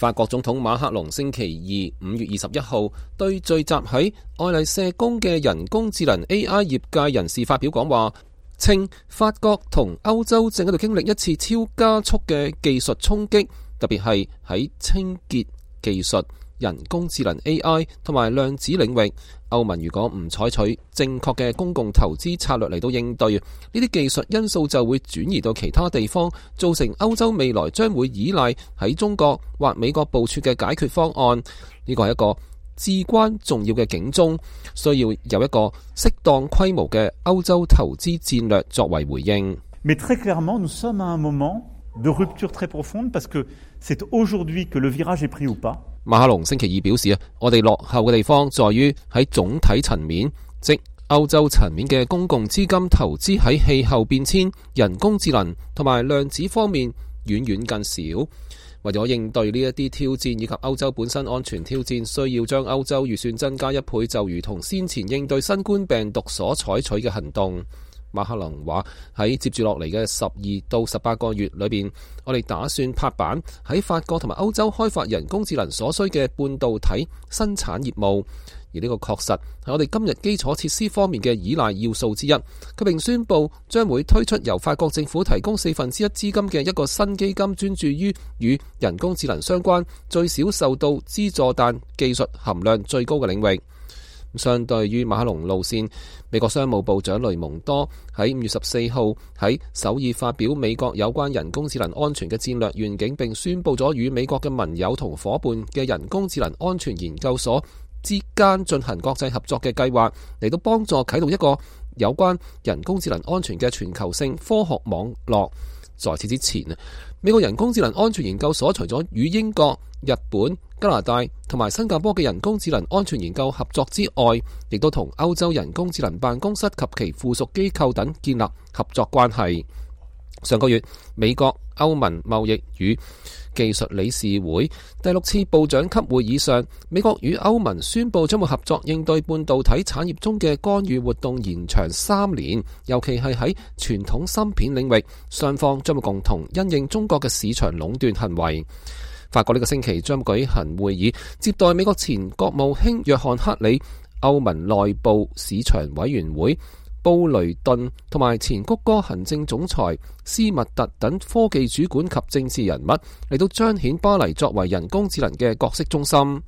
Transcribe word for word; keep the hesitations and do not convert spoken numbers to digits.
法國總統馬克龍星期二五月二十一號對聚集喺愛麗舍宮嘅人工智能 A I 業界人士發表講話，稱法國同歐洲正喺度經歷一次超加速嘅技術衝擊，特別係喺清潔技術、人工智能 A I 同埋量子領域。歐盟如果唔採取正確嘅公共投資策略嚟到應對呢啲技術因素，就會轉移到其他地方，造成歐洲未來將會依賴喺中國或美國部署嘅解決方案。呢個係一個至關重要嘅警鐘，需要有一個適當規模嘅歐洲投資戰略作為回應。Mais très clairement, nous sommes à un moment de rupture très profonde parce que c'est aujourd'hui que le virage est pris ou pas。馬克龍星期二表示啊，我哋落後嘅地方在於喺總體層面，即歐洲層面嘅公共資金投資喺氣候變遷、人工智能同埋量子方面遠遠更少。為咗應對呢一啲挑戰以及歐洲本身安全挑戰，需要將歐洲預算增加一倍，就如同先前應對新冠病毒所採取嘅行動。馬克龍話喺接住落嚟嘅十二到十八個月裏邊，我哋打算拍板喺法國同埋歐洲開發人工智能所需嘅半導體生產業務，而呢個確實係我哋今日基礎設施方面嘅依賴要素之一。佢並宣布將會推出由法國政府提供四分之一資金嘅一個新基金，專注於與人工智能相關、最少受到資助但技術含量最高嘅領域。相對於馬克龍路線，美國商務部長雷蒙多喺五月十四號喺首爾發表美國有關人工智能安全嘅戰略願景，並宣布咗與美國嘅盟友同夥伴嘅人工智能安全研究所之間進行國際合作嘅計劃，嚟到幫助啟動一個有關人工智能安全嘅全球性科學網絡。在此之前，美國人工智能安全研究所除咗與英國、日本、加拿大同埋新加坡嘅人工智能安全研究合作之外，亦都同歐洲人工智能辦公室及其附屬機構等建立合作關係。上個月，美國歐盟貿易與技術理事會第六次部長級會議上，美國與歐盟宣布將會合作應對半導體產業中嘅干預活動延長三年，尤其係喺傳統芯片領域，雙方將會共同因應中國嘅市場壟斷行為。法國呢個星期將舉行會議，接待美國前國務卿約翰克里、歐盟內部市場委員會布雷頓同埋前谷歌行政總裁斯密特等科技主管及政治人物，嚟到彰顯巴黎作為人工智能嘅角色中心。